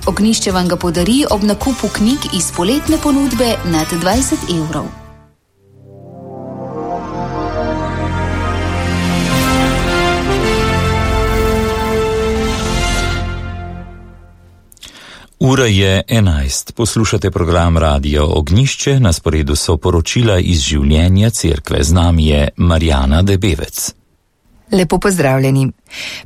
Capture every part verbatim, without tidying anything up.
Ognjišče vam ga podari ob nakupu knjig iz poletne ponudbe nad dvajset evrov. Ura je enajst. Poslušate program Radio Ognjišče, na sporedu so poročila iz življenja cerkve. Z nami je Marjana Debevec. Lepo pozdravljeni.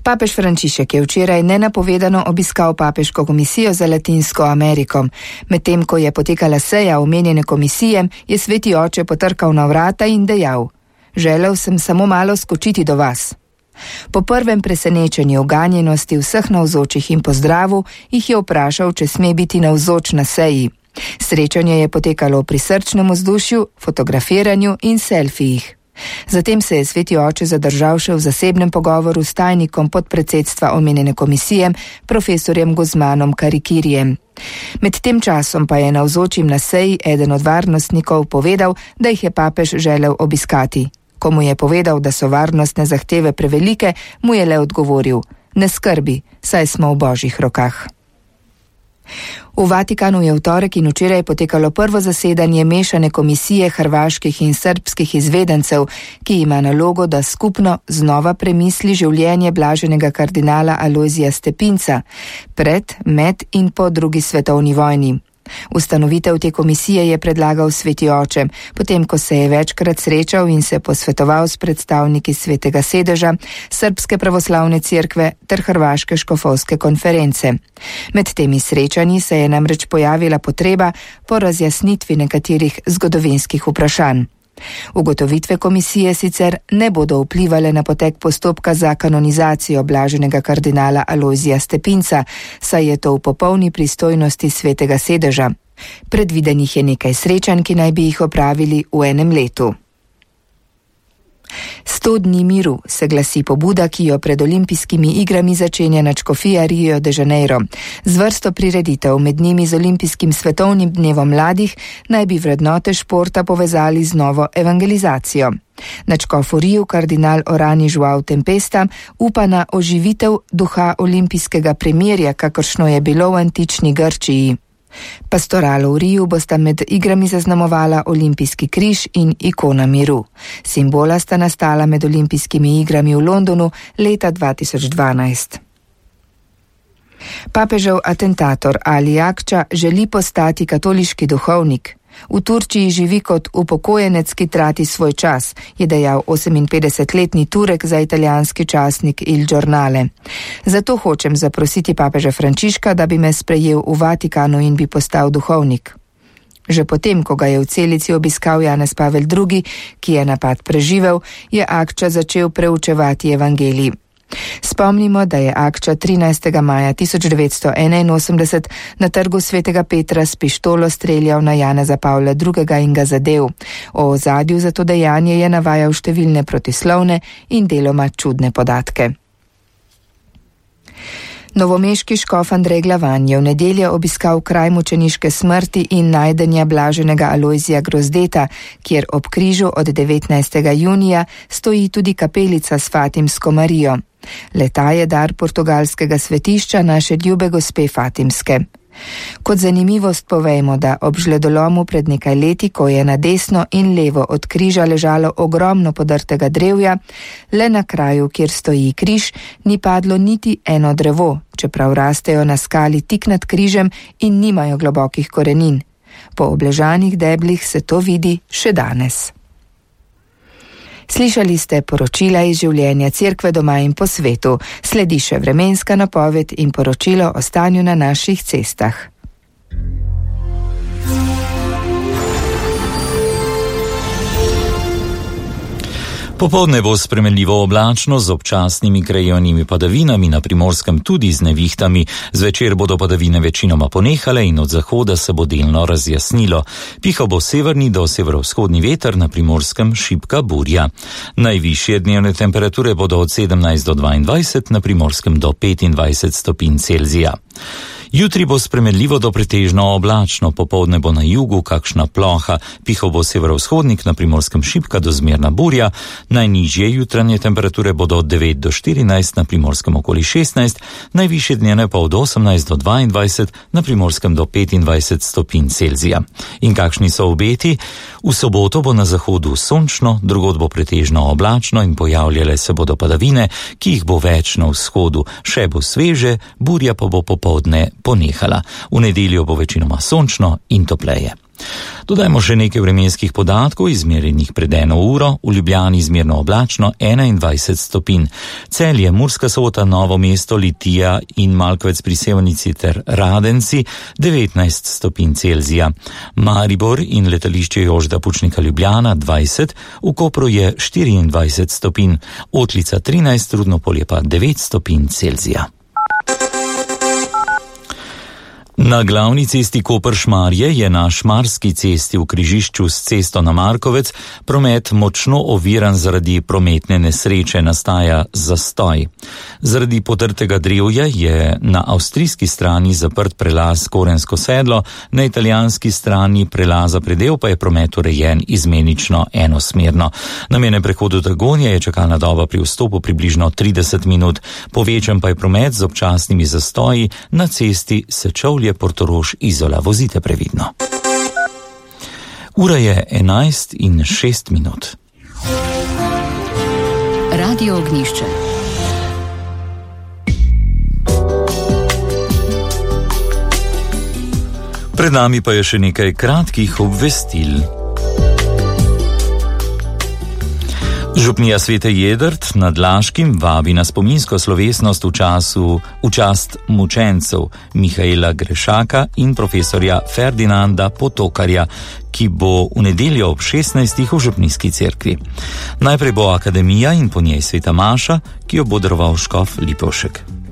Papež Frančišek je včeraj nenapovedano obiskal papeško komisijo za Latinsko Ameriko. Medtem ko je potekala seja omenjene komisije, je sveti oče potrkal na vrata in dejal: "Želel sem samo malo skočiti do vas." Po prvem presenečenju ganjenosti vseh navzočih in pozdravu jih je vprašal, če sme biti navzoč na seji. Srečanje je potekalo v prisrčnem vzdušju, fotografiranju in selfijih. Zatem se je sveti oče zadržal še v zasebnem pogovoru s tajnikom podpredsedstva omenjene komisije, profesorjem Guzmanom Karikirijem. Med tem časom pa je navzočim na seji eden od varnostnikov povedal, da jih je papež želel obiskati. Ko mu je povedal, da so varnostne zahteve prevelike, mu je le odgovoril: "Ne skrbi, saj smo v božjih rokah." V Vatikanu je v torek in včeraj potekalo prvo zasedanje mešane komisije hrvaških in srbskih izvedencev, ki ima nalogo, da skupno znova premisli življenje blaženega kardinala Alojzija Stepinca pred, med in po drugi svetovni vojni. Ustanovitev te komisije je predlagal sveti oče, potem ko se je večkrat srečal in se posvetoval s predstavniki Svetega sedeža, Srbske pravoslavne cerkve ter Hrvaške škofovske konference. Med temi srečanji se je namreč pojavila potreba po razjasnitvi nekaterih zgodovinskih vprašanj. Ugotovitve komisije sicer ne bodo vplivale na potek postopka za kanonizacijo blaženega kardinala Alojzija Stepinca, saj je to v popolni pristojnosti Svetega sedeža. Predvidenih je nekaj srečanj, ki naj bi jih opravili v enem letu. Sto dni miru se glasi pobuda, ki jo pred olimpijskimi igrami začenja nadškofija Rio de Janeiro. Z vrsto prireditev, med njimi z olimpijskim svetovnim dnevom mladih, naj bi vrednote športa povezali z novo evangelizacijo. Nadškof v Riu, kardinal Orani João Tempesta, upa na oživitev duha olimpijskega premirja, kakršno je bilo v antični Grčiji. Pastoralo v Riu bosta med igrami zaznamovala olimpijski križ in ikona miru. Simbola sta nastala med olimpijskimi igrami v Londonu leta dva tisoč dvanajst. Papežev atentator Ali Akča želi postati katoliški duhovnik. V Turčiji živi kot upokojenec, ki trati svoj čas, je dejal oseminpetdesetletni Turek za italijanski časnik Il Giornale. Zato hočem zaprositi papeža Frančiška, da bi me sprejel v Vatikanu in bi postal duhovnik. Že potem, ko ga je v celici obiskal Janez Pavel drugi, ki je napad preživel, je Akča začel preučevati evangelij. Spomnimo, da je Akča trinajstega maja tisoč devetsto enainosemdeset na trgu Svetega Petra s pištolo streljal na Janeza Pavla drugega in ga zadel. O ozadju za to dejanje je navajal številne protislovne in deloma čudne podatke. Novomeški škof Andrej Glavan je v nedeljo obiskal kraj mučeniške smrti in najdenja blaženega Alojzija Grozdeta, kjer ob križu od devetnajstega junija stoji tudi kapelica s Fatimsko Marijo. Le-ta je dar portugalskega svetišča naše ljube gospe Fatimske. Kot zanimivost povejmo, da ob žledolomu pred nekaj leti, ko je na desno in levo od križa ležalo ogromno podrtega drevja, le na kraju, kjer stoji križ, ni padlo niti eno drevo, čeprav rastejo na skali tik nad križem in nimajo globokih korenin. Po obležanih deblih se to vidi še danes. Slišali ste poročila iz življenja cerkve doma in po svetu. Sledi še vremenska napoved in poročilo o stanju na naših cestah. Popoldne bo spremenljivo oblačno z občasnimi krajevnimi padavinami, na Primorskem tudi z nevihtami. Zvečer bodo padavine večinoma ponehale in od zahoda se bo delno razjasnilo. Pihal bo severni do severovzhodni veter, na Primorskem šibka burja. Najvišje dnevne temperature bodo od sedemnajst do dvaindvajset, na Primorskem do petindvajset stopinj Celzija. Jutri bo spremenljivo do pretežno oblačno, popoldne bo na jugu kakšna ploha, pihal bo severovzhodnik, na Primorskem šibka do zmerna burja, najnižje jutranje temperature bodo od devet do štirinajst, na Primorskem okoli šestnajst, najvišje dnevne pa od osemnajst do dvaindvajset, na Primorskem do petindvajset stopinj Celzija. In kakšni so obeti? V soboto bo na zahodu sončno, drugod bo pretežno oblačno in pojavljale se bodo padavine, ki jih bo več na vzhodu, še bo sveže, burja pa bo popoldne ponehala. V nedeljo bo večinoma sončno in topleje. Dodajmo še nekaj vremenskih podatkov, izmerjenih pred eno uro, v Ljubljani izmerno oblačno enaindvajset stopinj. Celje, Murska Sobota, Novo mesto, Litija in Malkovec pri Sevnici ter Radenci devetnajst stopinj Celzija. Maribor in letališče Jožeta Pučnika Ljubljana dvajset, v Kopru je štiriindvajset stopinj, Otlica trinajst, Rudnopolje pa devet stopinj Celzija. Na glavni cesti Koper-Šmarje je na Šmarski cesti v križišču s cesto na Markovec promet močno oviran zaradi prometne nesreče, nastaja zastoj. Zaradi potrtega drevja je na avstrijski strani zaprt prelaz Korensko sedlo, na italijanski strani prelaza Predel pa je promet urejen izmenično enosmerno. Na mejnem prehodu Dragonja je čakalna doba pri vstopu približno trideset minut, povečan pa je promet z občasnimi zastoji na cesti Sečovlje Portorož Izola. Vozite previdno. Ura je enajst in šest minut. Radio Ognjišče. Pred nami pa je še nekaj kratkih obvestil. Župnija Svete Jedrt nad Laškim vabi na spominsko slovesnost v času v čast mučencev Mihaela Grešaka in profesorja Ferdinanda Potokarja, ki bo v nedeljo ob šestnajstih v župnijski cerkvi. Najprej bo akademija in po njej sveta maša, ki jo bo daroval škof Lipovšek.